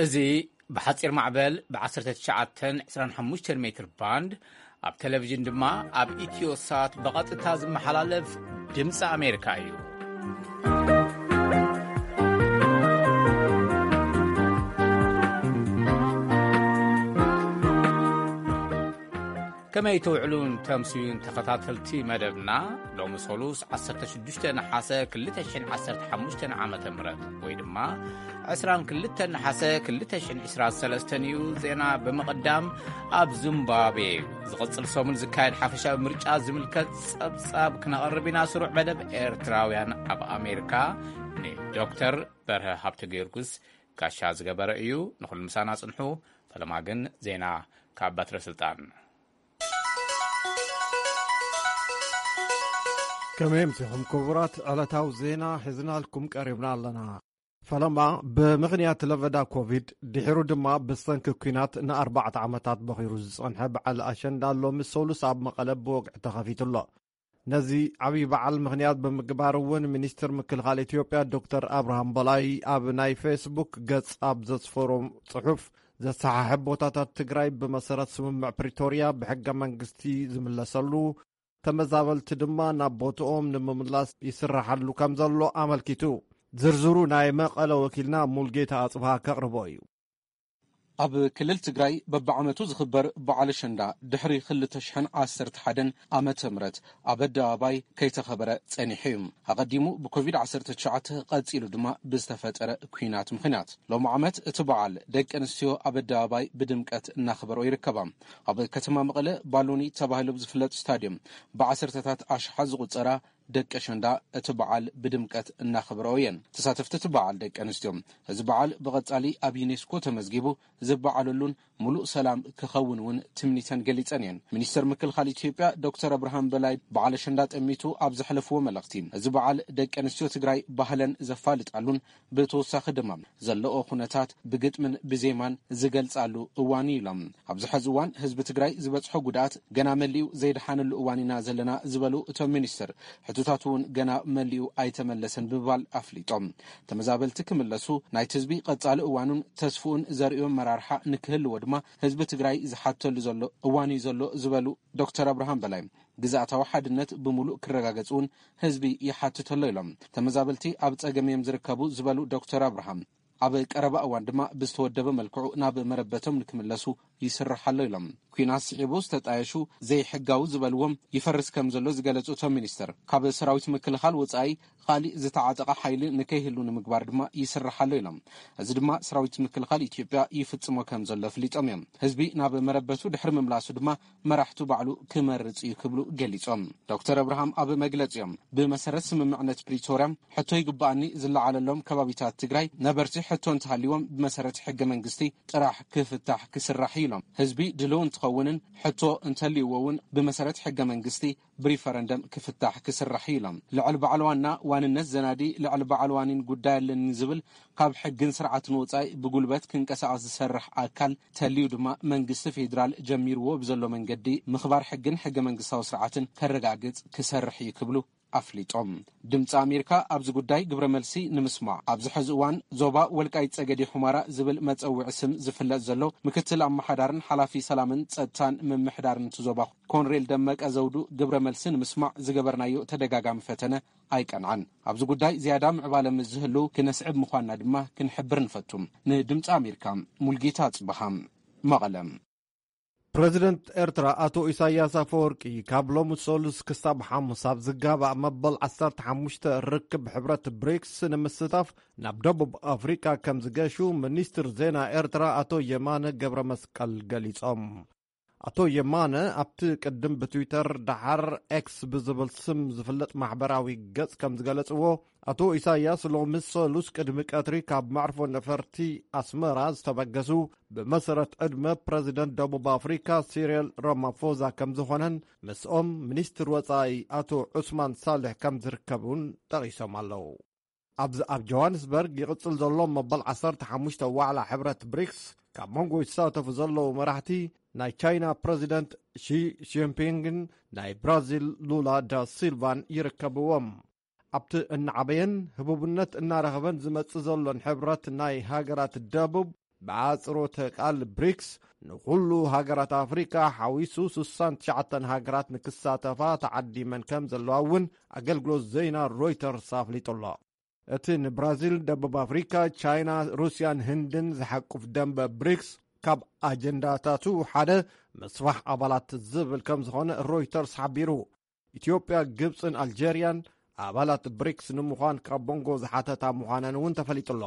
እዚ ብሓጺር ማዕበል ብ19 25 ሜትር ባንድ፣ ኣብ ቴሌቪዥን ድማ ኣብ ኢትዮሳት ብቐጥታ ዝመሓላለፍ ድምፂ ኣሜሪካ እዩ። ከመይ ትውዕሉን ተምስዩን ተኸታተልቲ መደብና? ሎሚ ሰሉስ 16 ነሓሰ 2015 ዓመተ ምህረት፣ ወይ ድማ 22 ነሓሰ 2023 እዩ። ዜና ብምቕዳም፣ ኣብ ዚምባብዌ ዝቕጽል ሰሙን ዝካየድ ሓፈሻዊ ምርጫ ዝምልከት ጸብጻብ ክነቕርብ ኢና። ስሩዕ መደብ ኤርትራውያን ኣብ ኣሜሪካ ንዶክተር በርሀ ሃብተ ጊዮርጊስ ጋሻ ዝገበረ እዩ። ንኹሉ ምሳና ጽንሑ። ፈለማ ግን ዜና ካብ በትረ ስልጣን። ከመይ ኣምሲኹም ክቡራት? ዕለታዊ ዜና ሒዝናልኩም ቀሪብና ኣለና። ፈለማ፣ ብምኽንያት ለበዳ ኮቪድ፣ ድሒሩ ድማ ብሰንኪ ኲናት ንኣርባዕተ ዓመታት በኺሩ ዝጸንሐ በዓል ኣሸንዳ ሎሚ ሰሉስ ኣብ መቐለ ብወግዒ ተኸፊቱ ኣሎ። ነዚ ዓብዪ በዓል ምኽንያት ብምግባር እውን ሚኒስትር ምክልኻል ኢትዮጵያ ዶክተር ኣብርሃም በላይ ኣብ ናይ ፌስቡክ ገጽ ኣብ ዘስፈሮም ጽሑፍ፣ ዘሰሓሕብ ቦታታት ትግራይ ብመሰረት ስምምዕ ፕሪቶርያ ብሕገ መንግስቲ ዝምለሰሉ፣ ተመዛበልቲ ድማ ናብ ቦትኦም ንምምላስ ይስራሓሉ ከም ዘሎ ኣመልኪቱ። ዝርዝሩ ናይ መቐለ ወኪልና ሙልጌታ ኣጽብሃ ከቕርቦ እዩ። ኣብ ክልል ትግራይ በብዓመቱ ዝኽበር በዓል ኣሸንዳ ድሕሪ 2011 ዓመተ ምህረት ኣብ ኣደባባይ ከይተኸበረ ጸኒሑ እዩ። ኣቐዲሙ ብኮቪድ-19፣ ቀጺሉ ድማ ብዝተፈጠረ ኲናት ምኽንያት። ሎም ዓመት እቲ በዓል ደቂ ኣንስትዮ ኣብ ኣደባባይ ብድምቀት እናኽበሮ ይርከባ። ኣብ ከተማ መቐለ ባሎኒ ተባሂሉ ብዝፍለጥ ስታድዮም ብዓሰርተታት ኣሽሓት ዝቑጸራ ደቂ ኣሸንዳ እቲ በዓል ብድምቀት እናኽበረኦ እየን። ተሳተፍቲ እቲ በዓል ደቂ ኣንስትዮ፣ እዚ በዓል ብቐጻሊ ኣብ ዩኔስኮ ተመዝጊቡ ዝበዓለሉን ሙሉእ ሰላም ክኸውን እውን ትምኒተን ገሊጸን እየን። ሚኒስተር ምክልኻል ኢትዮጵያ ዶክተር ኣብርሃም በላይ በዓል ኣሸንዳ ጠሚቱ ኣብ ዘሕለፍዎ መልእኽቲ፣ እዚ በዓል ደቂ ኣንስትዮ ትግራይ ባህለን ዘፋልጣሉን ብተወሳኺ ድማ ዘለኦ ኩነታት ብግጥምን ብዜማን ዝገልጻሉ እዋን እዩ ኢሎም። ኣብዚ ሐዚ እዋን ህዝቢ ትግራይ ዝበጽሖ ጉድኣት ገና መሊኡ ዘይደሓነሉ እዋን ኢና ዘለና ዝበሉ እቶም ሚኒስትር፣ ሕቶታት እውን ገና መሊኡ ኣይተመለሰን ብምባል ኣፍሊጦም። ተመዛበልቲ ክምለሱ፣ ናይቲ ህዝቢ ቀጻሊ እዋኑን ተስፍኡን ዘርእዮ ኣመራርሓ ንክህልዎ ድማ ህዝቢ ትግራይ ዝሓተሉ ዘሎ እዋን እዩ ዘሎ ዝበሉ ዶክተር ኣብርሃም በላይ፣ ግዝኣታዊ ሓድነት ብምሉእ ክረጋገጽ እውን ህዝቢ ይሓትት ኣሎ ኢሎም። ተመዛበልቲ ኣብ ጸገም እዮም ዝርከቡ ዝበሉ ዶክተር ኣብርሃም፣ ኣብ ቀረባ እዋን ድማ ብዝተወደበ መልክዑ ናብ መረበቶም ንክምለሱ ይስራሕ ኣሎ ኢሎም። ኲናት ስዒቡ ዝተጣየሹ ዘይሕጋዊ ዝበልዎም ይፈርስ ከም ዘሎ ዝገለጹ እቶም ሚኒስትር፣ ካብ ሰራዊት ምክልኻል ወጻኢ ካሊእ ዝተዓጠቐ ሓይሊ ንከይህሉ ንምግባር ድማ ይስራሕ ኣሎ ኢሎም። እዚ ድማ ሰራዊት ምክልኻል ኢትዮጵያ ይፍጽሞ ከም ዘሎ ኣፍሊጦም እዮም። ህዝቢ ናብ መረበቱ ድሕሪ ምምላሱ ድማ መራሕቱ ባዕሉ ክመርጽ እዩ ክብሉ ገሊጾም። ዶክተር ኣብርሃም ኣብ መግለጺኦም፣ ብመሰረት ስምምዕነት ፕሪቶርያ ሕቶ ይግባኣኒ ዝለዓለሎም ከባቢታት ትግራይ ነበርቲ ሕቶ እንተሃልይዎም ብመሰረት ሕገ መንግስቲ ጥራሕ ክፍታሕ ክስራሕ እዩ ኢሎም። ህዝቢ ድልው እንትኸውንን ሕቶ እንተልይዎ እውን ብመሰረት ሕገ መንግስቲ ብሪፈረንደም ክፍታሕ ክስራሕ እዩ ኢሎም። ልዕል በዓል ዋና ዋንነት ዘናዲ ልዕል በዓል ዋኒን ጉዳይ ኣለኒ ዝብል ካብ ሕግን ስርዓትን ወጻኢ ብጉልበት ክንቀሳቐስ ዝሰርሕ ኣካል ተልዩ ድማ መንግስቲ ፌዴራል ጀሚርዎ ብዘሎ መንገዲ ምኽባር ሕግን ሕገ መንግስታዊ ስርዓትን ከረጋግጽ ክሰርሕ እዩ ክብሉ ኣፍሊጦም። ድምፂ ኣሜሪካ ኣብዚ ጉዳይ ግብረ መልሲ ንምስማዕ ኣብዚ ሕዚ እዋን ዞባ ወልቃይት ጸገዴ ሑመራ ዝብል መጸውዒ ስም ዝፍለጥ ዘሎ ምክትል ኣመሓዳርን ሓላፊ ሰላምን ጸጥታን ምምሕዳርን እቲ ዞባ ኮንሬል ደመቀ ዘውዱ ግብረ መልሲ ንምስማዕ ዝገበርናዮ ተደጋጋሚ ፈተነ ኣይቀንዓን። ኣብዚ ጉዳይ ዝያዳ ምዕባለ ምስ ዝህሉ ክነስዕብ ምዃንና ድማ ክንሕብር ንፈቱ። ንድምፂ ኣሜሪካ፣ ሙልጌታ ጽበሃ፣ መቐለ። ፕረዚደንት ኤርትራ ኣቶ ኢሳያስ ኣፈወርቂ ካብ ሎሚ ሰሉስ ክሳብ ሓሙስ ኣብ ዝጋባእ መበል 15 ርክብ ሕብረት ብሪክስ ንምስታፍ ናብ ደቡብ ኣፍሪቃ ከም ዝገሹ ሚኒስትር ዜና ኤርትራ ኣቶ የማነ ገብረ መስቀል ገሊጾም። ኣቶ የማነ ኣብቲ ቅድም ብትዊተር ደሓር ኤክስ ብዝብል ስም ዝፍለጥ ማሕበራዊ ገጽ ከም ዝገለጽዎ፣ ኣቶ ኢሳያስ ሎሚ ሰሉስ ቅድሚ ቀትሪ ካብ መዕርፎ ነፈርቲ ኣስመራ ዝተበገሱ ብመሰረት ዕድመ ፕረዚደንት ደቡብ ኣፍሪካ ሲሪል ራማፎዛ ከም ዝኾነን ምስኦም ሚኒስትር ወጻኢ ኣቶ ዑስማን ሳልሕ ከም ዝርከቡን ጠቒሶም ኣለዉ። ኣብዚ ኣብ ጆሃንስበርግ ይቕጽል ዘሎ መበል 15 ዋዕላ ሕብረት ብሪክስ ካብ መንጎ ይሳተፉ ዘለዉ መራሕቲ ናይ ቻይና ፕረዚደንት ሺ ጂንፒንግን ናይ ብራዚል ሉላ ዳ ሲልቫን ይርከብዎም። ኣብቲ እናዓበየን ህቡብነት እናረኸበን ዝመጽእ ዘሎን ሕብረት ናይ ሃገራት ደቡብ ብኣጽሮተ ቃል ብሪክስ ንኹሉ ሃገራት ኣፍሪካ ሓዊሱ ስሳን ትሽዓተን ሃገራት ንክሳተፋ ተዓዲመን ከም ዘለዋ እውን ኣገልግሎት ዜና ሮይተርስ ኣፍሊጡ ኣሎ። እቲ ንብራዚል፣ ደቡብ ኣፍሪካ፣ ቻይና፣ ሩስያን ህንድን ዝሓቁፍ ደንበ ብሪክስ ካብ ኣጀንዳታቱ ሓደ ምስፋሕ ኣባላት ዝብል ከም ዝኾነ ሮይተርስ ሓቢሩ። ኢትዮጵያ፣ ግብፅን ኣልጀርያን ኣባላት ብሪክስ ንምዃን ካብ ቦንጎ ዝሓተታ ምዃነን እውን ተፈሊጡ ኣሎ።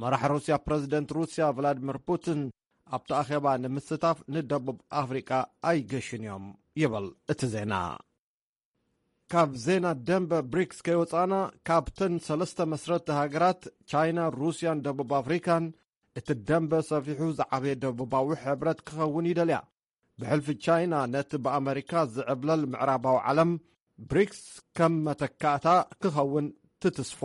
መራሕ ሩስያ ፕረዚደንት ሩስያ ቭላድሚር ፑቲን ኣብቲ ኣኼባ ንምስታፍ ንደቡብ ኣፍሪቃ ኣይገሽን እዮም ይብል እቲ ዜና። ካብ ዜና ደንበ ብሪክስ ከይወፃና፣ ካብተን ሰለስተ መስረቲ ሃገራት ቻይና፣ ሩስያን ደቡብ ኣፍሪካን እቲ ደንበ ሰፊሑ ዝዓበየ ደቡባዊ ሕብረት ክኸውን ይደልያ። ብሕልፊ ቻይና ነቲ ብኣመሪካ ዝዕብለል ምዕራባዊ ዓለም ብሪክስ ከም መተካእታ ክኸውን ትትስፎ።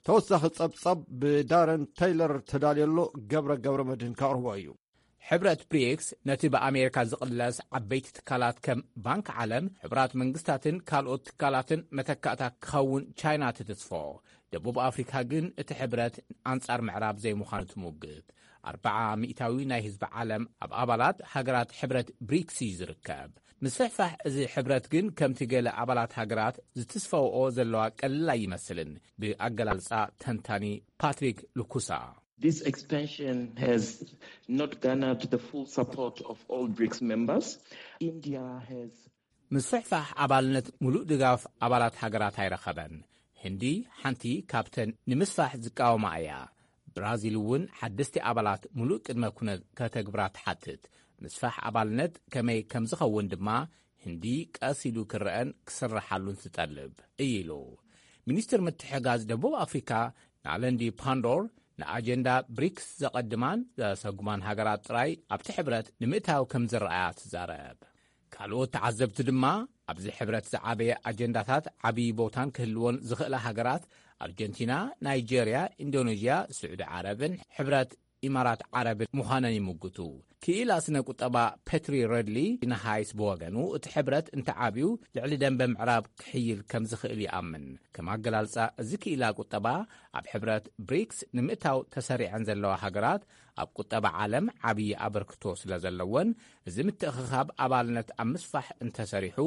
ተወሳኺ ጸብጻብ ብዳረን ተይለር ተዳልየሎ ገብረ ገብረ መድህን ከቕርቦ እዩ። ሕብረት ብሪክስ ነቲ ብኣሜሪካ ዝቕለስ ዓበይቲ ትካላት ከም ባንክ ዓለም፣ ሕቡራት መንግስታትን ካልኦት ትካላትን መተካእታ ክኸውን ቻይና ትትስፎ። ደቡብ ኣፍሪካ ግን እቲ ሕብረት ኣንጻር ምዕራብ ዘይምዃኑ ትሙግት። ኣርብዓ ሚእታዊ ናይ ህዝቢ ዓለም ኣብ ኣባላት ሃገራት ሕብረት ብሪክስ እዩ ዝርከብ። ምስፍሕፋሕ እዚ ሕብረት ግን ከምቲ ገለ ኣባላት ሃገራት ዝትስፈውኦ ዘለዋ ቀልል ኣይመስልን፣ ብኣገላልጻ ተንታኒ ፓትሪክ ሉኩሳ። This expansion has not garnered the full support of all BRICS members. India has ምስፍሕፋሕ ኣባልነት ሙሉእ ድጋፍ ኣባላት ሃገራት ኣይረኸበን። ህንዲ ሓንቲ ካብተን ንምስፋሕ ዝቃወማ እያ። ብራዚል እውን ሓደስቲ ኣባላት ሙሉእ ቅድመ ኩነት ከተግብራ ትሓትት። ምስፋሕ ኣባልነት ከመይ ከም ዝኸውን ድማ ህንዲ ቀስ ኢሉ ክረአን ክስረሓሉን ትጠልብ እዩ ኢሉ። ሚኒስትር ምትሕጋዝ ደቡብ ኣፍሪካ ናለንዲ ፓንዶር ንኣጀንዳ ብሪክስ ዘቐድማን ዘሰጉማን ሃገራት ጥራይ ኣብቲ ሕብረት ንምእታው ከም ዝረኣያ ትዛረብ። ካልኦት ተዓዘብቲ ድማ ኣብዚ ሕብረት ዝዓበየ ኣጀንዳታት ዓብዪ ቦታን ክህልዎን ዝኽእላ ሃገራት ኣርጀንቲና፣ ናይጀርያ፣ ኢንዶኔዥያ፣ ስዑዲ ዓረብን ሕብረት ኢማራት ዓረብን ምዃነን ይምጉቱ። ክኢላ ስነ ቁጠባ ፔትሪ ረድሊ ንሃይስ ብወገኑ እቲ ሕብረት እንተዓብዩ ልዕሊ ደንበ ምዕራብ ክሕይል ከም ዝኽእል ይኣምን። ከም ኣገላልጻ እዚ ክኢላ ቁጠባ ኣብ ሕብረት ብሪክስ ንምእታው ተሰሪዐን ዘለዋ ሃገራት ኣብ ቁጠባ ዓለም ዓብዪ ኣበርክቶ ስለ ዘለወን እዚ ምትእኽኻብ ኣባልነት ኣብ ምስፋሕ እንተሰሪሑ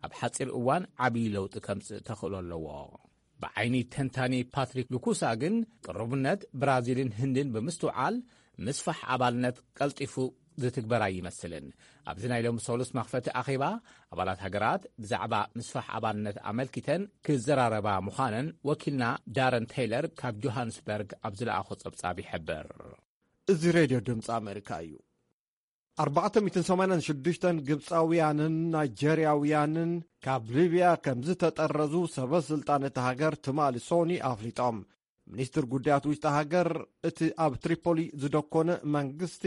ኣብ ሓፂር እዋን ዓብዪ ለውጢ ከምፅእ ተኽእሎ ኣለዎ። ብዓይኒ ተንታኒ ፓትሪክ ሉኩሳ ግን ቅርቡነት ብራዚልን ህንድን ብምስትውዓል ምስፋሕ ኣባልነት ቀልጢፉ ዝትግበር ኣይመስልን። ኣብዚ ናይ ሎሚ ሰሉስ መኽፈቲ ኣኼባ ኣባላት ሃገራት ብዛዕባ ምስፋሕ ኣባልነት ኣመልኪተን ክዘራረባ ምዃነን ወኪልና ዳረን ቴይለር ካብ ጆሃንስበርግ ኣብ ዝለኣኾ ጸብጻብ ይሕብር። እዚ ሬድዮ ድምፂ ኣሜሪካ እዩ። ኣርባዕተ ሚእትን ሰማንያን ሽዱሽተን ግብፃውያንን ናይጀርያውያንን ካብ ሊብያ ከም ዝተጠረዙ ሰበ ስልጣን እታ ሃገር ትማሊ ሶኒ ኣፍሊጦም። ሚኒስትር ጉዳያት ውሽጢ ሃገር እቲ ኣብ ትሪፖሊ ዝደኮነ መንግስቲ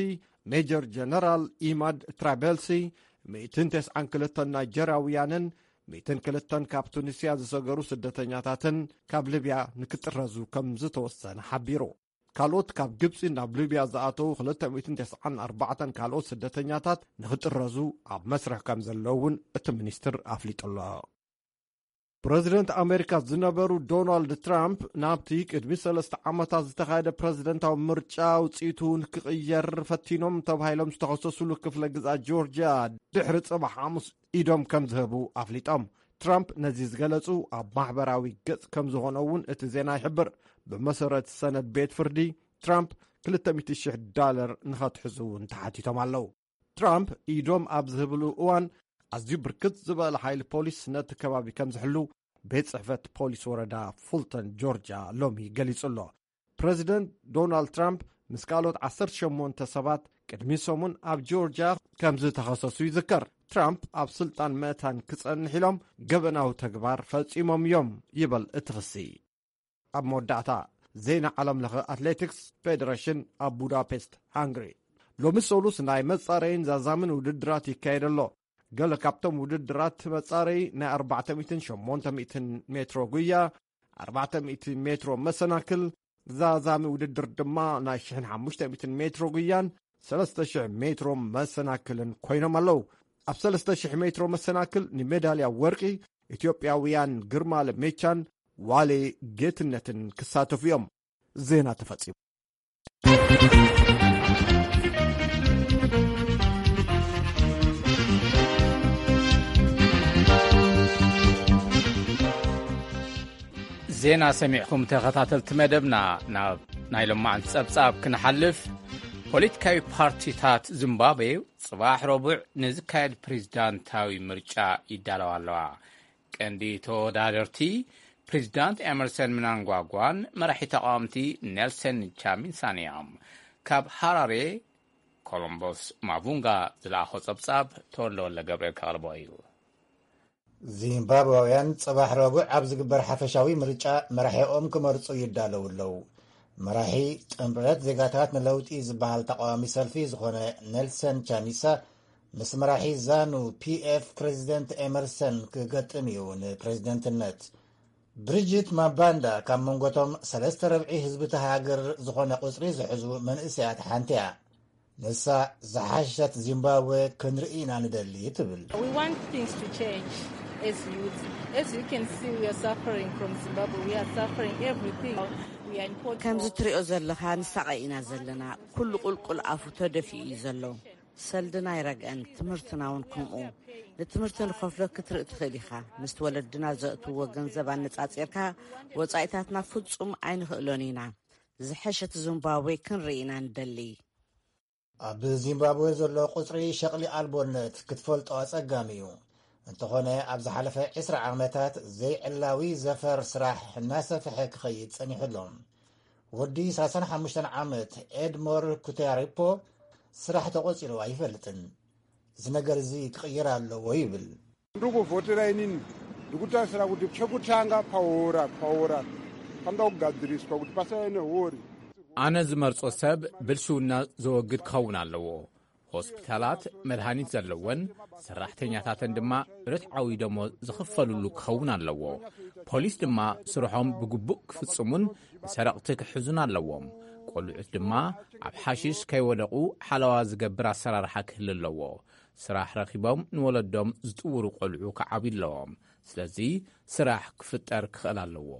ሜጀር ጀነራል ኢማድ ትራቤልሲ፣ ሚእትን ተስዓን ክልተን ናይጀርያውያንን ሚእትን ክልተን ካብ ቱኒስያ ዝሰገሩ ስደተኛታትን ካብ ሊብያ ንክጥረዙ ከም ዝተወሰነ ሓቢሩ። ካልኦት ካብ ግብፂ ናብ ሊብያ ዝኣተዉ ክልተ ሚእትን ተስዓን ኣርባዕተን ካልኦት ስደተኛታት ንክጥረዙ ኣብ መስርሕ ከም ዘለዉ እውን እቲ ሚኒስትር ኣፍሊጡ ኣሎ። ፕረዚደንት ኣሜሪካ ዝነበሩ ዶናልድ ትራምፕ ናብቲ ቅድሚ ሰለስተ ዓመታት ዝተኻየደ ፕረዚደንታዊ ምርጫ ውፅኢቱ ንክቕየር ፈቲኖም ተባሂሎም ዝተኸሰሱሉ ክፍለ ግዝኣት ጆርጅያ ድሕሪ ፅባሕ ሓሙስ ኢዶም ከም ዝህቡ ኣፍሊጦም። ትራምፕ ነዚ ዝገለጹ ኣብ ማሕበራዊ ገጽ ከም ዝኾነ እውን እቲ ዜና ይሕብር። ብመሰረት ሰነድ ቤት ፍርዲ፣ ትራምፕ ክልተ ሚእቲ ሺሕ ዳለር ንኸትሕዙ እውን ተሓቲቶም ኣለዉ። ትራምፕ ኢዶም ኣብ ዝህብሉ እዋን ኣዝዩ ብርክት ዝበለ ሓይሊ ፖሊስ ነቲ ከባቢ ከም ዝሕሉ ቤት ጽሕፈት ፖሊስ ወረዳ ፉልተን ጆርጅያ ሎሚ ገሊጹ ኣሎ። ፕረዚደንት ዶናልድ ትራምፕ ምስ ካልኦት ዓሰርተ ሸሞንተ ሰባት ቅድሚ ሰሙን ኣብ ጆርጅያ ከም ዝተኸሰሱ ይዝከር። ትራምፕ ኣብ ስልጣን ምእታን ክጸንሕ ኢሎም ገበናዊ ተግባር ፈጺሞም እዮም ይብል እቲ ክሲ። ኣብ መወዳእታ፣ ዜና ዓለም ለኸ ኣትሌቲክስ ፌደሬሽን ኣብ ቡዳፔስት ሃንግሪ ሎሚ ሰሉስ ናይ መጻረይን ዛዛምን ውድድራት ይካየድ ኣሎ። ገለ ካብቶም ውድድራት መጻረይ ናይ ኣርባዕተ ሚእትን ሸሞንተ ሚእትን ሜትሮ ጉያ፣ ኣርባዕተ ሚእቲ ሜትሮ መሰናክል፣ ዛዛሚ ውድድር ድማ ናይ ሽሕን ሓሙሽተ ሚእትን ሜትሮ ጉያን ሰለስተ ሽሕ ሜትሮ መሰናክልን ኮይኖም ኣለዉ። ኣብ ሰለስተ ሽሕ ሜትሮ መሰናክል ንሜዳልያ ወርቂ ኢትዮጵያውያን ግርማ ለሜቻን ዋሌ ጌትነትን ክሳተፉ እዮም። ዜና ተፈጺሙ። ዜና ሰሚዕኩም ተኸታተልቲ መደብና። ናብ ናይ ሎማዓንቲ ጸብጻብ ክንሓልፍ፣ ፖለቲካዊ ፓርቲታት ዚምባብዌ ጽባሕ ረቡዕ ንዝካየድ ፕሬዝዳንታዊ ምርጫ ይዳለዋ ኣለዋ። ቀንዲ ተወዳደርቲ ፕሬዝዳንት ኤመርሰን ምናንጓጓን መራሒ ተቃወምቲ ኔልሰን ቻሚሳን እዮም። ካብ ሃራሬ ኮሎምቦስ ማቡንጋ ዝለኣኾ ጸብጻብ ተወልደ ወልደ ገብርኤል ከቕርቦ እዩ። ዚምባብዋውያን ጽባሕ ረቡዕ ኣብ ዝግበር ሓፈሻዊ ምርጫ መራሒኦም ክመርጹ ይዳለዉ ኣለዉ። መራሒ ጥምረት ዜጋታት ንለውጢ ዝበሃል ተቃዋሚ ሰልፊ ዝኾነ ኔልሰን ቻሚሳ ምስ መራሒ ዛኑ ፒኤፍ ፕሬዚደንት ኤመርሰን ክገጥም እዩ ንፕሬዚደንትነት። ብሪጅት ማባንዳ ካብ መንጎቶም ሰለስተ ረብዒ ህዝቢ እታ ሃገር ዝኾነ ቁጽሪ ዝሕዙ መንእሰያት ሓንቲ እያ። ንሳ ዝሓሸት ዚምባብዌ ክንርኢ ኢና ንደሊ ትብል። We want things to change as youth. As you can see, we are suffering from Zimbabwe. We are suffering everything. We are in poor ከምዚ ትሪኦ ዘለኻ ንሳቐ ኢና ዘለና። ኩሉ ቁልቁል ኣፉ ተደፊኡ እዩ ዘሎ። ሰልድና ኣይረግአን፣ ትምህርትና እውን ከምኡ። ንትምህርቲ ንኸፍሎ ክትርኢ ትኽእል ኢኻ። ምስቲ ወለድና ዘእትዎ ገንዘብ ኣነጻጺርካ ወጻኢታትና ፍጹም ኣይንኽእሎን ኢና። ዝሐሸት ዚምባብዌ ክንርኢ ኢና ንደሊ። ኣብ ዚምባብዌ ዘሎ ቁጽሪ ሸቕሊ ኣልቦነት ክትፈልጦ ኣጸጋሚ እዩ። እንተኾነ ኣብ ዝሓለፈ ዕስራ ዓመታት ዘይዕላዊ ዘፈር ስራሕ እናሰፍሐ ክኸይድ ጸኒሑ ኣሎ። ወዲ ሰላሳን ሓሙሽተን ዓመት ኤድሞር ኩቴሪፖ ስራሕ ተቖጺሩ ኣይፈልጥን። እዚ ነገር እዚ ክቕየር ኣለዎ ይብል። Ndikuvhotera inini ndikutarisira kuti chekutanga paora paora panoda kugadziriswa kuti pasave nehori. ኣነ ዝመርጾ ሰብ ብልሽውና ዘወግድ ክኸውን ኣለዎ። ሆስፒታላት መድሃኒት ዘለወን፣ ሰራሕተኛታተን ድማ ርትዓዊ ደሞዝ ዝኽፈልሉ ክኸውን ኣለዎ። ፖሊስ ድማ ስርሖም ብግቡእ ክፍጽሙን ንሰረቕቲ ክሕዙን ኣለዎም። ቆልዑት ድማ ኣብ ሓሽሽ ከይወደቑ ሓለዋ ዝገብር ኣሰራርሓ ክህሉ ኣለዎ። ስራሕ ረኺቦም ንወለዶም ዝጥውሩ ቆልዑ ክዓብዩ ኣለዎም። ስለዚ ስራሕ ክፍጠር ክኽእል ኣለዎ።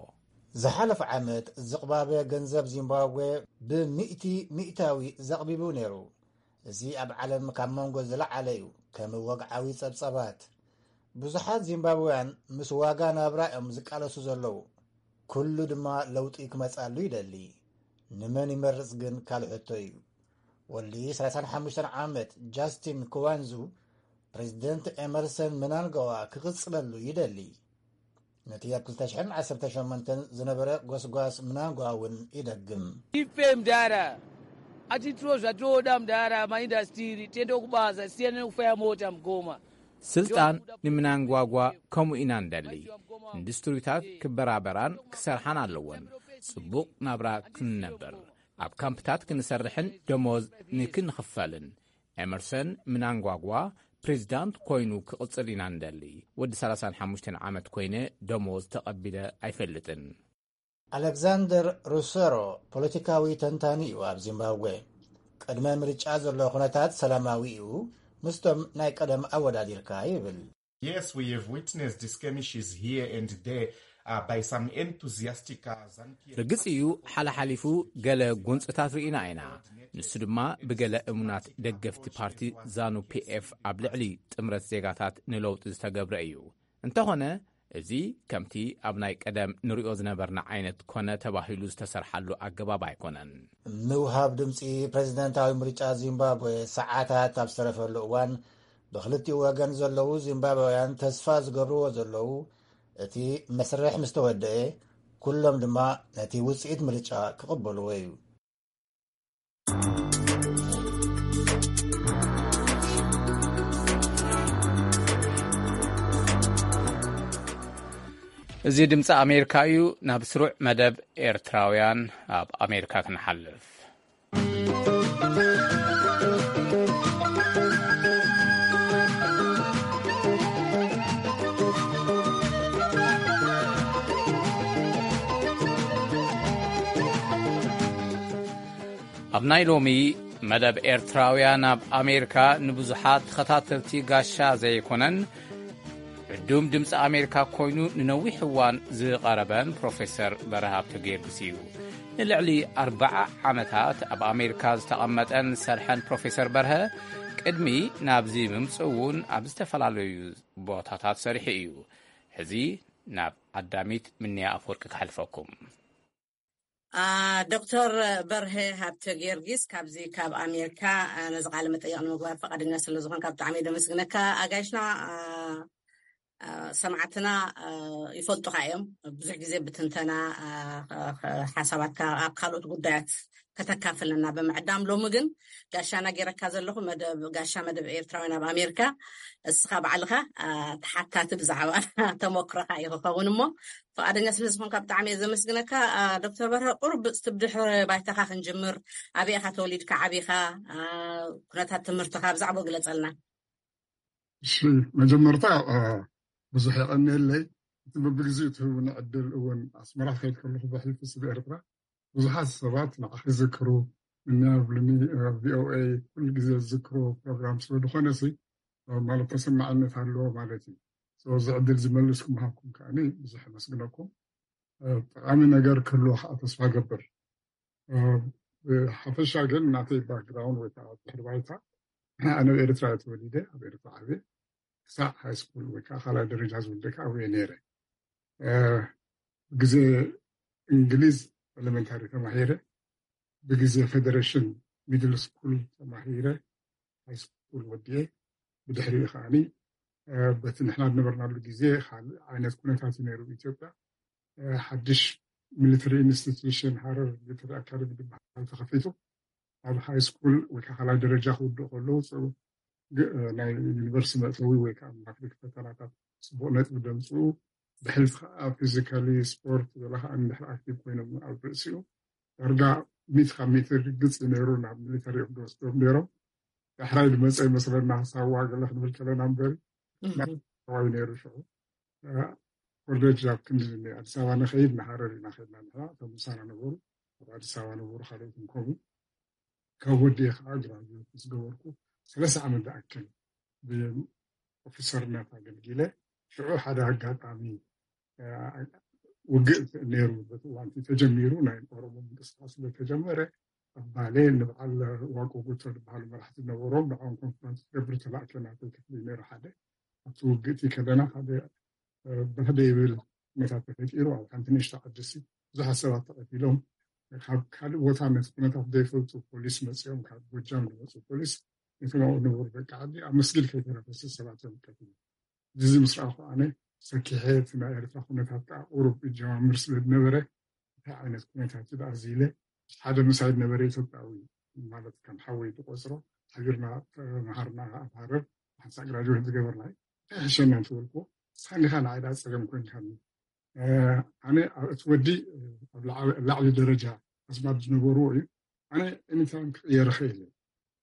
ዝሓለፈ ዓመት ዝቕባበ ገንዘብ ዚምባብዌ ብሚእቲ ሚእታዊ ዘቕቢቡ ነይሩ። እዚ ኣብ ዓለም ካብ መንጎ ዝለዓለ እዩ። ከም ወግዓዊ ጸብጻባት፣ ብዙሓት ዚምባብውያን ምስ ዋጋ ናብራ እዮም ዝቃለሱ ዘለዉ። ኩሉ ድማ ለውጢ ክመጻሉ ይደሊ። ንመን ይመርጽ ግን ካልእ ሕቶ እዩ። ወዲ ሰላሳን ሓሙሽተን ዓመት ጃስቲን ክዋንዙ ፕሬዚደንት ኤመርሰን ምናንጋዋ ክቕጽለሉ ይደሊ። ነቲ ኣብ ክልተ ሽሕን ዓሰርተ ሸሞንተን ዝነበረ ጎስጓስ ምናንጋዋ እውን ይደግም። Ife mdara atitiro zvatoda mdara maindastiri tiende kubasa siyane nekufaya mota mgoma. ስልጣን ንምናንጓጓ ከምኡ ኢና ንደሊ። ኢንዱስትሪታት ክበራበራን ክሰርሓን ኣለወን። ጽቡቕ ናብራ ክንነብር፣ ኣብ ካምፕታት ክንሰርሕን ደሞዝ ንክንኽፈልን። ኤመርሰን ምናንጓጓ ፕሬዚዳንት ኮይኑ ክቕጽል ኢና ንደሊ። ወዲ ሰላሳን ሓሙሽተን ዓመት ኮይነ ደሞዝ ተቐቢለ ኣይፈልጥን። ኣሌክዛንደር ሩሰሮ ፖለቲካዊ ተንታኒ እዩ ኣብ ዚምባብዌ። ቅድመ ምርጫ ዘሎ ኩነታት ሰላማዊ እዩ፣ ምስቶም ናይ ቀደም ኣወዳዲርካ ይብል። Yes, we have witnessed skirmishes here and there, uh, by some enthusiastic, uh, Zanki. ርግጽ እዩ፣ ሓለሓሊፉ ገለ ጎንጽታት ርኢና ኢና። ንሱ ድማ ብገለ እሙናት ደገፍቲ ፓርቲ ዛኑ ፒኤፍ ኣብ ልዕሊ ጥምረት ዜጋታት ንለውጢ ዝተገብረ እዩ። እንተኾነ፣ እዚ ከምቲ ኣብ ናይ ቀደም ንሪኦ ዝነበርና ዓይነት ኮነ ተባሂሉ ዝተሰርሓሉ ኣገባብ ኣይኮነን። ምውሃብ ድምፂ ፕሬዝደንታዊ ምርጫ ዚምባብዌ ሰዓታት ኣብ ዝተረፈሉ እዋን፣ ብክልቲኡ ወገን ዘለዉ ዚምባብውያን ተስፋ ዝገብርዎ ዘለዉ፣ እቲ መስርሕ ምስ ተወደኤ፣ ኩሎም ድማ ነቲ ውፅኢት ምርጫ ክቕበልዎ እዩ። እዚ ድምፂ ኣሜሪካ እዩ። ናብ ስሩዕ መደብ ኤርትራውያን ኣብ ኣሜሪካ ክንሓልፍ። ኣብ ናይ ሎሚ መደብ፣ ኤርትራውያን ኣብ ኣሜሪካ ንብዙሓት ተኸታተልቲ ጋሻ ዘይኮነን፣ ዕዱም ድምፂ ኣሜሪካ ኮይኑ ንነዊሕ እዋን ዝቐረበን ፕሮፌሰር በረሃ ሃብተ ጊዮርጊስ እዩ። ንልዕሊ ኣርብዓ ዓመታት ኣብ ኣሜሪካ ዝተቐመጠን ዝሰርሐን ፕሮፌሰር በርሀ፣ ቅድሚ ናብዚ ምምፅኡ እውን ኣብ ዝተፈላለዩ ቦታታት ሰሪሑ እዩ። ሕዚ ናብ ኣዳሚት ምንያ ኣፈወርቂ ክሓልፈኩም። ዶክተር በርሀ ሃብተ ጊዮርጊስ ካብዚ ካብ ኣሜሪካ ነዚ ቃለ መጠየቕ ንምግባር ፈቃደኛ ስለ ዝኾንካ ብጣዕሚ እየ ደመስግነካ። ኣጋይሽና ሰማዕትና ይፈልጡካ እዮም። ብዙሕ ግዜ ብትንተና ሓሳባትካ ኣብ ካልኦት ጉዳያት ከተካፍለና ብምዕዳም፣ ሎሚ ግን ጋሻና ገይረካ ዘለኹ መደብ ጋሻ መደብ ኤርትራውያን ኣብ ኣሜሪካ፣ እስኻ ባዕልኻ ተሓታቲ ብዛዕባ ተመክሮኻ እዩ ክኸውን እሞ፣ ፈቃደኛ ስለ ዝኾንካ ብጣዕሚ እየ ዘመስግነካ። ዶክተር በርሀ፣ ቁሩብ ብድሕሪ ባይታኻ ክንጅምር፣ ኣበይ ኢኻ ተወሊድካ ዓቢኻ፣ ኩነታት ትምህርትኻ ብዛዕባኡ ግለጸልና። እሺ፣ መጀመርታ ብዙሕ የቐንየለይ። እቲ በብግዜኡ ትህቡኒ ዕድል እውን፣ ኣስመራ ክኸይድ ከለኹ ብሕልፊ ስብ ኤርትራ ብዙሓት ሰባት ንዓኺ ዝዝክሩ፣ እኛ ብልሚ ቪኦኤ ኩሉ ግዜ ዝዝክሩ ፕሮግራም ስለ ዝኾነ ሲ ማለት ተሰማዕነት ኣለዎ ማለት እዩ። እዚ ዕድል ዝመልስኩም ሃብኩም ከዓኒ ብዙሕ የመስግነኩም። ጠቃሚ ነገር ክህልዎ ከዓ ተስፋ ገብር። ብሓፈሻ ግን ናተይ ባክግራውንድ ወይ ከዓ ድሕሪ ባይታ፣ ኣነ ኣብ ኤርትራ እየ ተወሊደ፣ ኣብ ኤርትራ ዓብየ። ክሳዕ ሃይ ስኩል ወይ ከዓ ካልኣይ ደረጃ ዝውልደ ከዓ ኣብየ ነይረ። ግዜ እንግሊዝ ኤሌመንታሪ ተማሂረ፣ ብግዜ ፌደሬሽን ሚድል ስኩል ተማሂረ፣ ሃይ ስኩል ወዲኤ። ብድሕሪኡ ከዓኒ በቲ ንሕና ዝነበርናሉ ግዜ ካልእ ዓይነት ኩነታት እዩ ነይሩ ኢትዮጵያ። ሓድሽ ሚሊተሪ ኢንስቲትዩሽን ሃረር ሚሊተሪ ኣካደሚ ዝበሃል ተኸፊቱ፣ ኣብ ሃይ ስኩል ወይ ከዓ ካልኣይ ደረጃ ክውድኡ ከለዉ ናይ ዩኒቨርሲቲ መእተዊ ወይ ከዓ ማትሪክ ፈተናታት ፅቡቅ ነጥቢ ደምፅኡ፣ ብሕልፊ ከዓ ፊዚካሊ ስፖርት ገለ ከዓ እንድሕር ኣክቲቭ ኮይኖም ኣብ ርእሲኡ ዳርጋ ሚት ካብ ሚት ርግፅ እዩ ነይሩ። ናብ ሚሊተሪ እዮም ዝወስዶም ነይሮም። ዳሕራይ ዝመፀ ይመስለና ሳዋ ገለ ክንብል ከለና እምበሪ ሳዋ እዩ ነይሩ ሽዑ። ኮሌጅ ኣብ ክንዲ ኣዲስ ኣበባ ንኸይድ ንሃረር ኢና ከድና ንሕና፣ እቶም ምሳና ነበሩ ኣብ ኣዲስ ኣበባ ነበሩ ካልኦትን ከምኡ። ካብ ወዲኤ ከዓ ግራጁዌት ምስ ገበርኩ ሰለስተ ዓመት ዝኣክል ብኦፊሰርነት ኣገልጊለ። ሽዑ ሓደ ኣጋጣሚ ውግእ ነይሩ፣ በቲ እዋንቲ ተጀሚሩ ናይ ኦሮሞ ምንቅስቃስ ስለተጀመረ ኣብ ባሌ ንበዓል ዋቆ ጉቶ ዝበሃሉ መራሕቲ ነበሮም፣ ንዕኦም ኮንፈረንስ ክገብር ተላእከ። ናተይ ክፍሊ ነይሩ ሓደ። ኣብቲ ውግእቲ ከለና ሓደ ባህደ ይብል ኩነታት ተፈጢሩ ኣብ ሓንቲ ንእሽቶ ዓዲ ሲ ብዙሓት ሰባት ተቐቲሎም። ካብ ካልእ ቦታ ነቲ ኩነታት ዘይፈልጡ ፖሊስ መፂኦም፣ ካብ ጎጃም ዝመፁ ፖሊስ ነቶም ኣብኡ ዝነበሩ ደቂ ዓዲ ኣብ መስጊድ ከይተረፈ ሰባት እዮም ቀቲሎም። እዚ ምስ ረኣኹ ኣነ ሰኪሐ፣ እቲ ናይ ኤርትራ ኩነታት ከዓ ቁሩብ ይጀማምር ስለ ዝነበረ እንታይ ዓይነት ኩነታት እዩ ደኣ እዚ ኢለ ሓደ ምሳይ ዝነበረ ኢትዮጵያዊ ማለት ከም ሓወይ ዝቆፅሮ ሓቢርና ተምሃርና ኣብ ሃረር ሓንሳእ ግራጅዌት ዝገበርና እዩ። እንታይ ሕሸና እንተበልኩዎ ንስኻ እንዲኻ ንዓይ ደኣ ፀገም ኮይንካኒ። ኣነ እቲ ወዲ ኣብ ላዕሊ ደረጃ ኣዝማድ ዝነበርዎ እዩ። ኣነ ኤኒታይም ክቕየር ይኽእል እየ።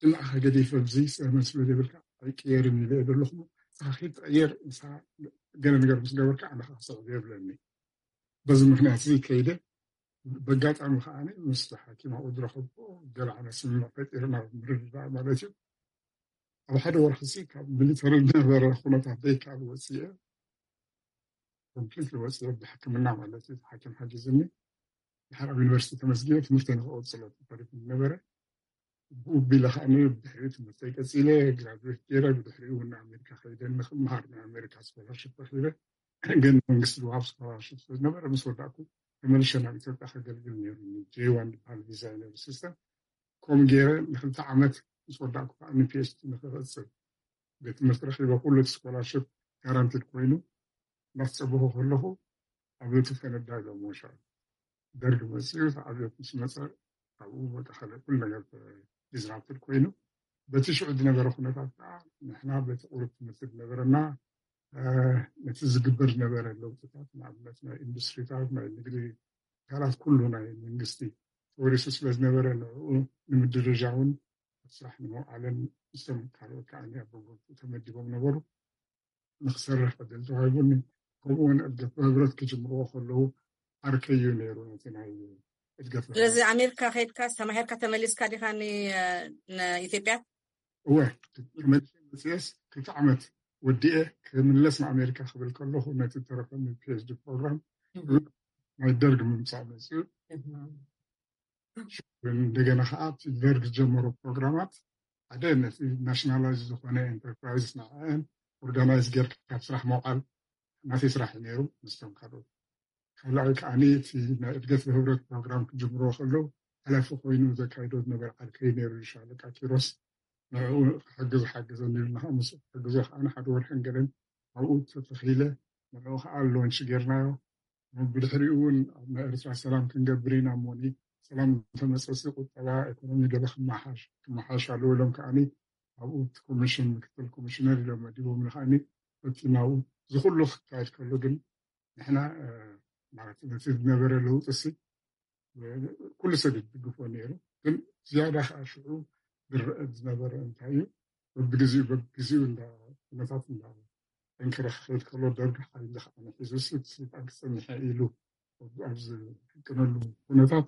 ንዓኻ ገዲፈ ኣብዚ ሰመን ስለ ዘይብልካ ኣይቅየርን ኢለ እየ ዘለኹ። ንስኻ ከይትቐየር ንስኻ ገለ ነገር ምስ ገበርካ ኣነ ከዓ ክስዕብ የብለኒ። በዚ ምኽንያት እዚ ከይደ በጋጣሚ ከዓ ምስ ሓኪም ኣብኡ ዝረኸብኩ ገለ ዓይነት ስምምዕ ፈጢርና ምርድዳእ ማለት እዩ። ኣብ ሓደ ወርሒ ሲ ካብ ሚሊተሪ ዝነበረ ኩነታት ዘይከኣል ወፅየ ኮምፕሊትሊ ወፅየ ብሕክምና ማለት እዩ። ሓኪም ሓጊዝኒ ድሓር ኣብ ዩኒቨርሲቲ ተመስጊነ ትምህርተይ ንክቐፅሎ ተፈሪፉ ነበረ። ብኡ ቢለ ከዓ ድሕሪ ትምህርተይ ቀፂለ ግራጅዌት ገይረ ብድሕሪኡ እውን ኣሜሪካ ከይደ ንክምሃር ናይ ኣሜሪካ ስኮላርሽፕ ረኪበ። ግን መንግስቲ ዝወሃብ ስኮላርሽፕ ስለዝነበረ ምስ ወዳእኩ ተመልሸ ናብ ኢትዮጵያ ከገልግል ነይሩ። ጄ ዋን ዝበሃል ቪዛ እዩ ነይሩ ሲስተም። ከምኡ ገይረ ንክልተ ዓመት ምስ ወዳእኩ ከዓ ንፒኤችዲ ንክቐፅል ቤት ትምህርቲ ረኪበ። ኩሉ እቲ ስኮላርሽፕ ጋራንቲድ ኮይኑ እናተፀበኹ ከለኹ ኣብዮት ፈነዳ ኢሎም ወሻ ደርግ መፅኡ። እቲ ኣብዮት ምስ መፀ ካብኡ በቃ ካልእ ኩሉ ነገር ዲስራፕትድ ኮይኑ በቲ ሽዑ ዝነበረ ኩነታት ከዓ ንሕና በቲ ቁሩብ ትምህርቲ ዝነበረና ነቲ ዝግበር ዝነበረ ለውጥታት ንኣብነት ናይ ኢንዱስትሪታት ናይ ንግዲ ትካላት ኩሉ ናይ መንግስቲ ተወሪሱ ስለ ዝነበረ ንዕኡ ንምድርጃውን ኣብ ስራሕ ንምውዓልን ምስቶም ካልኦት ከዓ ኣብ በቦቱ ተመዲቦም ነበሩ። ንክሰርሕ ዕድል ተዋሂቡኒ። ከምኡ እውን እድገት ብህብረት ክጅምርዎ ከለዉ ዓርከይ እዩ ነይሩ ነቲ ናይ እድገት ብህብረት። ስለዚ ኣሜሪካ ከይድካ ተማሂርካ ተመሊስካ ዲኻ ንኢትዮጵያ? እወ፣ ተመሊሰ መፅኤስ ክልተ ዓመት ወዲኤ ክምለስ ንኣሜሪካ ክብል ከለኹ ነቲ ተረፈኒ ፒኤችዲ ፕሮግራም ናይ ደርግ ምምፃእ መፅኡ። እንደገና ከዓ እቲ ደርግ ዝጀመሮ ፕሮግራማት ሓደ ነቲ ናሽናላይዝ ዝኾነ ኤንተርፕራይዝ ንዕአን ኦርጋናይዝ ጌርካ ካብ ስራሕ መውዓል ናተይ ስራሕ እዩ ነይሩ። ምስቶም ካልኦት ካልኣይ ከዓኒ እቲ ናይ እድገት ብህብረት ፕሮግራም ክጅምሮ ከለዉ ሓላፊ ኮይኑ ዘካይዶ ዝነበረ ዓርከይ ነይሩ፣ ሻለቃ ኪሮስ። ንዕኡ ክሕግዝ ሓገዘኒ ኢሉ፣ ንኸዓ ምስኡ ክሕግዞ ከዓኒ ሓደ ወርሕን ገለን ኣብኡ ተተኺለ። ንዕኡ ከኣ ሎንች ጌርናዮ። ብድሕሪኡ እውን ኣብ ናይ ኤርትራ ሰላም ክንገብር ኢና እሞኒ፣ ሰላም እንተመጸሲ ቁጠባ፣ ኢኮኖሚ ገለ ክመሓሽ ክመሓሽ ኣለዎ ኢሎም ከዓኒ ኣብኡ እቲ ኮሚሽን ምክትል ኮሚሽነር ኢሎም መዲቦም ከዓኒ እቲ ናብኡ እዚ ኩሉ ክካየድ ከሎ ግን ንሕና ማለት ነቲ ዝነበረ ለውጥሲ ኩሉ ሰብ ይድግፎ ነይሩ። ግን ዝያዳ ከዓ ሽዑ ዝረአ ዝነበረ እንታይ እዩ? በብግዜኡ በብግዜኡ እንዳ ኩነታት እንዳ ጠንከረ ክኸይድ ከሎ ደርጊ ሓይሊ ከዓ ንሒዙ ስልጣን ክፀንሐ ኢሉ ኣብዚ ሕቅነሉ ኩነታት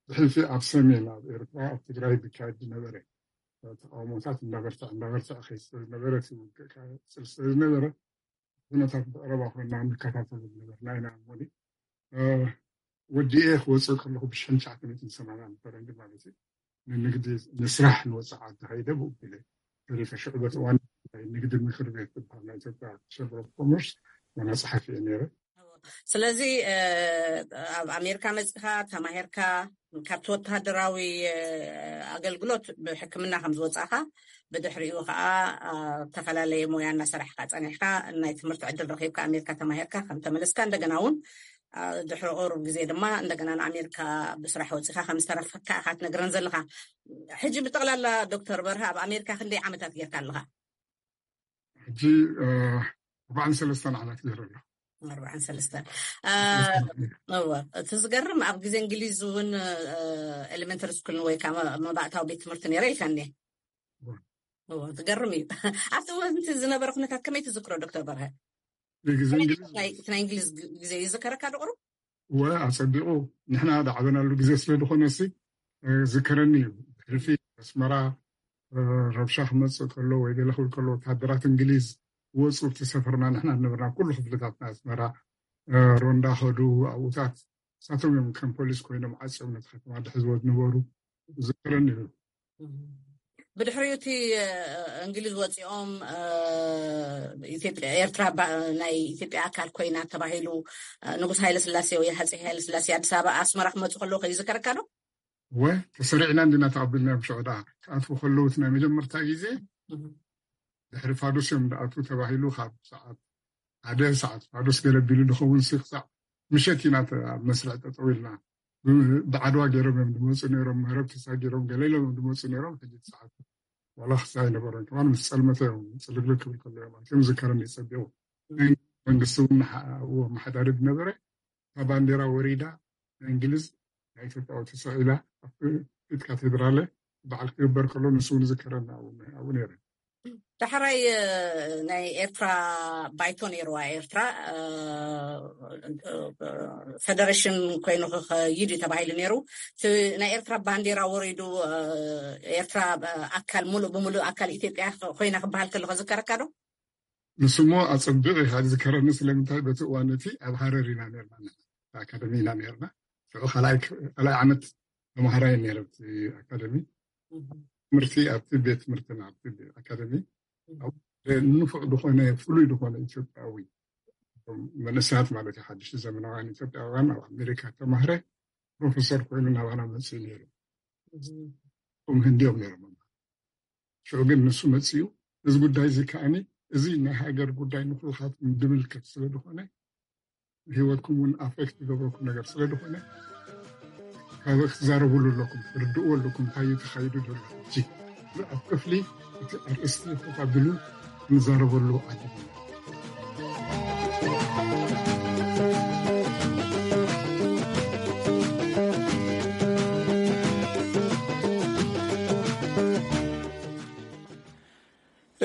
ብሕልፊ ኣብ ሰሜን ኣብ ኤርትራ ኣብ ትግራይ ዝካየድ ዝነበረ ተቃውሞታት እንዳበርትዐ እንዳበርትዐ ከይድ ስለዝነበረ እቲ ውግእ ከዓ ይቅፅል ስለዝነበረ ኩነታት ብቐረባ ኮይና ንከታተሉ ዝነበርና ኢና። እሞኒ ወዲኤ ክወፅእ ከለኹ ብሽሕን ትሽዓተ ሚእትን ሰማንያን ፈረንጂ ማለት እዩ ንንግዲ ንስራሕ ንወፅእ ዓዲ ከይደ ብኡ ቢለ ተሪፈ። ሽዑ በቲ እዋን ናይ ንግዲ ምክር ቤት ዝበሃል ናይ ኢትዮጵያ ቸምበር ኦፍ ኮመርስ ዋና ፀሓፊ እየ ነይረ። ስለዚ ኣብ ኣሜሪካ መፅኻ ተማሂርካ ካብቲ ወተሃደራዊ ኣገልግሎት ብሕክምና ከም ዝወፃእካ ብድሕሪኡ ከዓ ዝተፈላለየ ሞያ እናሰራሕካ ፀኒሕካ ናይ ትምህርቲ ዕድል ረኪብካ ኣሜሪካ ተማሂርካ ከም ተመለስካ እንደገና እውን ድሕሪ ቁሩብ ግዜ ድማ እንደገና ንኣሜሪካ ብስራሕ ወፂካ ከም ዝተረፈካ ኢካ ትነግረን ዘለካ። ሕጂ ብጠቅላላ ዶክተር በርሀ ኣብ ኣሜሪካ ክንደይ ዓመታት ጌርካ ኣለካ? ሕጂ ኣርባዓን ሰለስተን ዓመት ገይረ ኣለኹ። ኣርባዓን ሰለስተን እወ። እቲ ዝገርም ኣብ ግዜ እንግሊዝ እውን ኤሌመንተሪ ስኩል ወይ ከዓ መባእታዊ ቤት ትምህርቲ ነይረ ኢልካኒ። እወ ዝገርም እዩ። ኣብቲ እዋን እቲ ዝነበረ ኩነታት ከመይ ትዝክሮ ዶክተር በርሀ? ብግዜ እንግሊዝ ናይ እንግሊዝ ግዜ ይዝከረካ ድቁሩ? ወ ኣጸቢቑ ንሕና ዝዓበናሉ ግዜ ስለ ዝኾነ ሲ ዝከረኒ እዩ። ሕልፊ ኣስመራ ረብሻ ክመጽእ ከሎ ወይ ገለ ክብል ከሎ ወታደራት እንግሊዝ ወፁ እቲ ሰፈርና ንሕና ዝነበርና ኩሉ ክፍልታት ናይ ኣስመራ ሮንዳ ከዱ ኣብኡታት እሳቶም እዮም ከም ፖሊስ ኮይኖም ዓፅዮም ነቲ ከተማ ድሕዝዎ ዝነበሩ ዝከረኒ እዩ። ብድሕሪኡ እቲ እንግሊዝ ወፂኦም ኢትዮጵያ ኤርትራ ናይ ኢትዮጵያ ኣካል ኮይና ተባሂሉ ንጉስ ሃይለ ስላሴ ወይ ሃፀይ ሃይለ ስላሴ ኣዲስ ኣበባ ኣስመራ ክመፁ ከለዉ ከይዝከረካ ዶ? ወ ተሰሪዕና እንዲና ተቐቢልናዮም ሽዑ ደኣ ክኣትዉ ከለዉ እቲ ናይ መጀመርታ ግዜ ድሕሪ ፋዱስ እዮም ዝኣትዉ ተባሂሉ ካብ ሰዓት ሓደ ሰዓት ፋዱስ ገለ ቢሉ ዝኸውን ሲ ክሳዕ ምሸት ኢና ኣብ መስርዕ ጠጠው ኢልና ብዓድዋ ገይሮም እዮም ዝመፁ ነይሮም ምህረብ ተሳጊሮም ገለ ኢሎም እዮም ዝመፁ ነይሮም ሕጂ ሰዓት ዋላ ክሳዕ ኣይነበሮም ከማን ምስ ፀልመተ እዮም ፅልግልግ ክብል ከሎ እዮም ኣትዮም ዝከረኒ ፀቢቑ መንግስቲ እውን ኣመሓዳሪ ዝነበረ እታ ባንዴራ ወሪዳ ናይ እንግሊዝ ናይ ኢትዮጵያ ተሰቒላ ኣብቲ ፊት ካቴድራለ በዓል ክግበር ከሎ ንሱ እውን ዝከረኒ ኣብኡ ነይረ። ዳሕራይ ናይ ኤርትራ ባይቶ ነይርዋ ኤርትራ ፈደሬሽን ኮይኑ ክኸይድ እዩ ተባሂሉ ነይሩ። እቲ ናይ ኤርትራ ባንዴራ ወሪዱ ኤርትራ ኣካል ሙሉእ ብሙሉእ ኣካል ኢትዮጵያ ኮይና ክበሃል ከሎ ከዝከረካ ዶ? ንስሞ ኣጸቢቕ ኢኻ ዝከረኒ ስለምንታይ በቲ እዋን እቲ ኣብ ሃረር ኢና ነርና ኣካደሚ ኢና ነርና ሽዑ ካልኣይ ዓመት ተምሃራይ ነረ ኣብቲ ኣካደሚ ትምህርቲ ኣብቲ ቤት ትምህርትና ኣብቲ ኣካደሚ ንፉዕ ዝኾነ ፍሉይ ዝኾነ ኢትዮጵያዊ መንእሰያት ማለት ሓድሽ ዘመናውያን ኢትዮጵያውያን ኣብ ኣሜሪካ ተማህረ ፕሮፌሰር ኮይኑ ናባና መፅኡ ነይሩ። እም ህንዲዮም ነይሮም ሽዑ ግን ንሱ መፅኡ እዚ ጉዳይ እዚ ከዓኒ እዚ ናይ ሃገር ጉዳይ ንኩልኻት ድምልከት ስለ ዝኾነ ህይወትኩም እውን ኣፌክት ዝገብረኩም ነገር ስለ ዝኾነ ካብ ክትዛረብሉ ኣለኩም ትርድእዎ ኣለኩም እንታይ እዩ ተኻይዱ ዘሎ ሕጂ ኣብ ክፍሊ እቲ ኣርእስቲ ኮፍ ኣቢሉ ክንዛረበሉ ዓዲ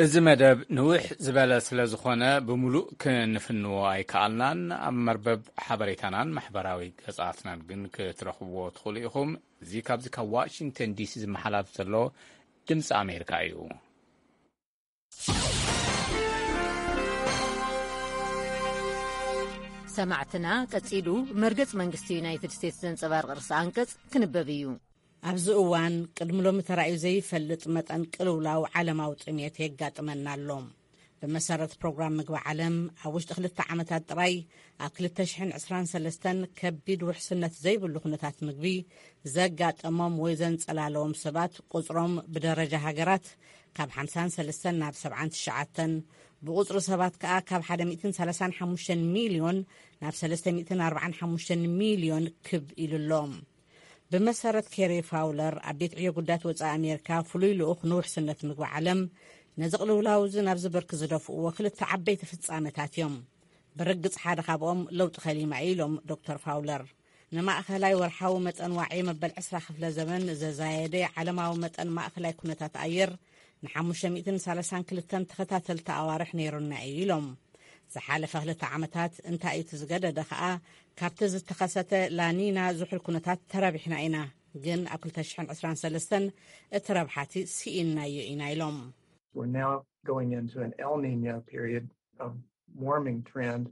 እዚ መደብ ንውሕ ዝበለ ስለ ዝኾነ ብምሉእ ክንፍንዎ ኣይከኣልናን። ኣብ መርበብ ሓበሬታናን ማሕበራዊ ገጻትናን ግን ክትረኽብዎ ትኽእሉ ኢኹም። እዚ ካብዚ ካብ ዋሽንግተን ዲሲ ዝመሓላፍ ዘሎ ድምፂ ኣሜሪካ እዩ። ሰማዕትና ቀጺሉ መርገጽ መንግስቲ ዩናይትድ ስቴትስ ዘንጸባርቕ ርእሰ ኣንቀጽ ክንበብ እዩ። ኣብዚ እዋን ቅድሚ ሎሚ ተራእዩ ዘይፈልጥ መጠን ቅልውላው ዓለማዊ ጥሜት የጋጥመና ኣሎ። ብመሰረት ፕሮግራም ምግቢ ዓለም፣ ኣብ ውሽጢ ክልተ ዓመታት ጥራይ ኣብ ክልተ ሽሕን ዕስራን ሰለስተን ከቢድ ውሕስነት ዘይብሉ ኩነታት ምግቢ ዘጋጠሞም ወይ ዘንጸላለዎም ሰባት ቁጽሮም ብደረጃ ሃገራት ካብ ሓምሳን ሰለስተን ናብ ሰብዓን ትሽዓተን፣ ብቁጽሪ ሰባት ከኣ ካብ ሓደ ሚእትን ሰላሳን ሓሙሽተን ሚልዮን ናብ ሰለስተ ሚእትን ኣርባዓን ሓሙሽተን ሚልዮን ክብ ኢሉ ኣሎ። ብመሰረት ኬሪ ፋውለር፣ ኣብ ቤት ዕዮ ጉዳያት ወጻኢ ኣሜሪካ ፍሉይ ልኡኽ ንውሕስነት ምግቢ ዓለም፣ ነዚ ቅልውላው እዚ ናብ ዝብርክ ዝደፍእዎ ክልተ ዓበይቲ ፍጻመታት እዮም። ብርግጽ ሓደ ካብኦም ለውጢ ከሊማ እዩ ኢሎም ዶክተር ፋውለር። ንማእኸላይ ወርሓዊ መጠን ዋዒ መበል ዕስራ ክፍለ ዘመን ዘዛየደ ዓለማዊ መጠን ማእኸላይ ኩነታት ኣየር ንሓሙሽተ ሚእትን ሰላሳን ክልተን ተኸታተልቲ ኣዋርሕ ነይሩና እዩ ኢሎም። ዝሓለፈ ክልተ ዓመታት እንታይ እዩ እቲ ዝገደደ ከኣ፣ ካብቲ ዝተኸሰተ ላኒና ዝሑል ኩነታት ተረቢሕና ኢና፣ ግን ኣብ ክልተ ሽሕን ዕስራን ሰለስተን እቲ ረብሓቲ ስኢንናዮ ኢና ኢሎም። We're now going into an El Nino period of warming trend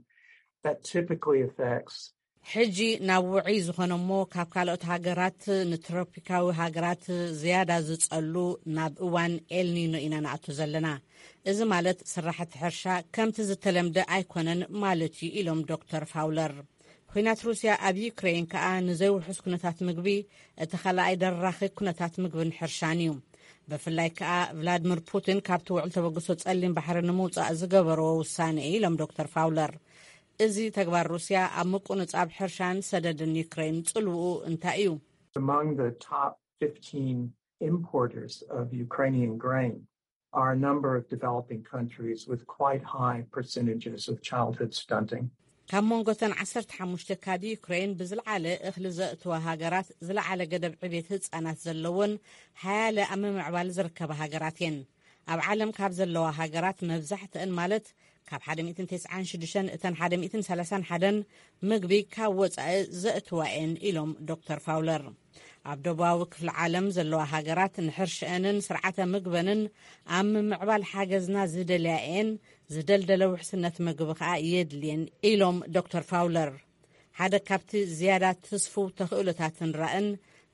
that typically affects ሕጂ ናብ ውዑይ ዝኾነ እሞ ካብ ካልኦት ሃገራት ንትሮፒካዊ ሃገራት ዝያዳ ዝጸሉ ናብ እዋን ኤልኒኖ ኢና ንኣቱ ዘለና። እዚ ማለት ስራሕቲ ሕርሻ ከምቲ ዝተለምደ ኣይኮነን ማለት እዩ ኢሎም ዶክተር ፋውለር። ኲናት ሩስያ ኣብ ዩክሬን ከኣ ንዘይውሑስ ኩነታት ምግቢ እቲ ካልኣይ ደራኺ ኩነታት ምግብን ሕርሻን እዩ። ብፍላይ ከኣ ቭላድሚር ፑቲን ካብቲ ውዕል ተበግሶ ጸሊም ባሕሪ ንምውጻእ ዝገበርዎ ውሳነ እዩ ኢሎም ዶክተር ፋውለር። እዚ ተግባር ሩስያ ኣብ ምቁንጻብ ሕርሻን ሰደድን ዩክሬን ጽልውኡ እንታይ እዩ? Among the top fifteen importers of Ukrainian grain are a number of developing countries with quite high percentages of childhood stunting. ካብ መንጎተን ዓሰርተ ሓሙሽተ ካብ ዩክሬን ብዝለዓለ እኽሊ ዘእትዋ ሃገራት ዝለዓለ ገደብ ዕቤት ህጻናት ዘለዎን ሓያለ ኣብ ምምዕባል ዝርከባ ሃገራት እየን። ኣብ ዓለም ካብ ዘለዋ ሃገራት መብዛሕትአን ማለት ካብ ሓደ ሚእትን ተስዓን ሽዱሽተን እተን ሓደ ሚእትን ሰላሳን ሓደን ምግቢ ካብ ወጻኢ ዘእትዋ እየን ኢሎም ዶክተር ፋውለር። ኣብ ደቡባዊ ክፍሊ ዓለም ዘለዋ ሃገራት ንሕርሽአንን ስርዓተ ምግበንን ኣብ ምምዕባል ሓገዝና ዝደልያ እየን፣ ዝደልደለ ውሕስነት ምግቢ ከኣ የድልየን ኢሎም ዶክተር ፋውለር። ሓደ ካብቲ ዝያዳ ትስፉው ተኽእሎታትን ራእን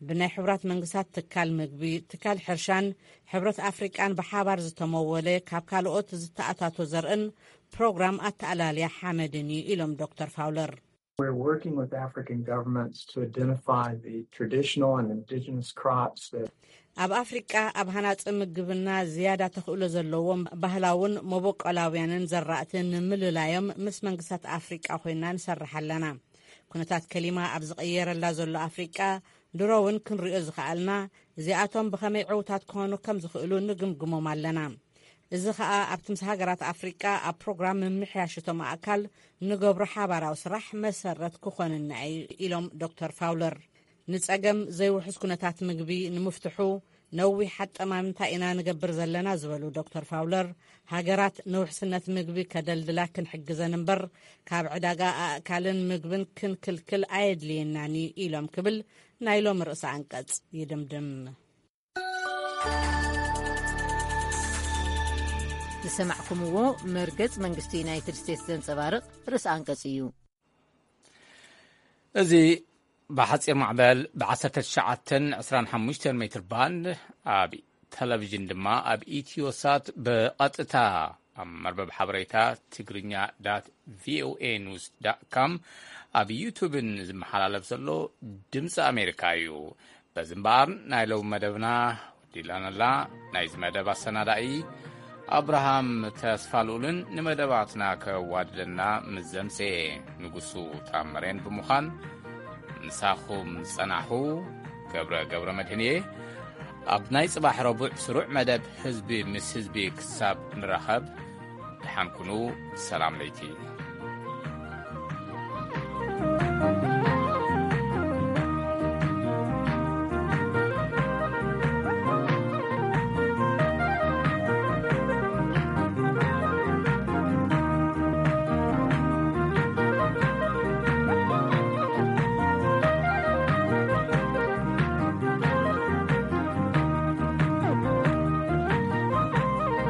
ብናይ ሕቡራት መንግስታት ትካል ምግቢ፣ ትካል ሕርሻን ሕብረት ኣፍሪቃን ብሓባር ዝተመወለ ካብ ካልኦት ዝተኣታቶ ዘርእን ፕሮግራም ኣተኣላልያ ሓመድን እዩ ኢሎም ዶክተር ፋውለር። We're working with African governments to identify the traditional and indigenous crops that ኣብ ኣፍሪቃ ኣብ ሃናጺ ምግብና ዝያዳ ተኽእሎ ዘለዎም ባህላውን መበቆላውያንን ዘራእቲ ንምልላዮም ምስ መንግስታት ኣፍሪቃ ኮይና ንሰርሕ ኣለና። ኩነታት ከሊማ ኣብ ዝቕየረላ ዘሎ ኣፍሪቃ ድሮ እውን ክንሪኦ ዝኸኣልና እዚኣቶም ብኸመይ ዕውታት ክኾኑ ከም ዝኽእሉ ንግምግሞም ኣለና። እዚ ኸኣ ኣብቲ ምስ ሃገራት ኣፍሪቃ ኣብ ፕሮግራም ምምሕያሽ እቶም ኣእካል ንገብሮ ሓባራዊ ስራሕ መሰረት ክኾንና እዩ ኢሎም ዶክተር ፋውለር። ንጸገም ዘይውሑስ ኩነታት ምግቢ ንምፍትሑ ነዊሕ ኣጠማምታ ኢና ንገብር ዘለና ዝበሉ ዶክተር ፋውለር፣ ሃገራት ንውሕስነት ምግቢ ከደልድላ ክንሕግዘን እምበር ካብ ዕዳጋ ኣእካልን ምግብን ክንክልክል ኣየድልየናን እዩ ኢሎም ክብል ናይ ሎም ርእሰ ኣንቀጽ ይድምድም። ዝሰማዕኩምዎ መርገጽ መንግስቲ ዩናይትድ ስቴትስ ዘንጸባርቕ ርእሰ ኣንቀጽ እዩ። እዚ ብሓጺር ማዕበል ብ19 25 ሜትር ባንድ፣ ኣብ ቴሌቪዥን ድማ ኣብ ኢትዮሳት ብቐጥታ ኣብ መርበብ ሓበሬታ ትግርኛ ዳት ቪኦኤ ኒውስ ዳት ኮም፣ ኣብ ዩቱብን ዝመሓላለፍ ዘሎ ድምፂ ኣሜሪካ እዩ። በዚ እምበኣር ናይ ሎሚ መደብና ወዲላን ኣላ። ናይዚ መደብ ኣሰናዳኢ ኣብርሃም ተስፋልኡልን ንመደባትና ከዋድደና ምስ ዘምጽኤ ንጉሱ ታመሬን ብምዃን ምሳኹም ዝጸናሕኹ ገብረ ገብረ መድህን እየ። ኣብ ናይ ጽባሕ ረቡዕ ስሩዕ መደብ ህዝቢ ምስ ህዝቢ ክሳብ ንራኸብ ደሓን ኩኑ። ሰላም ለይቲ።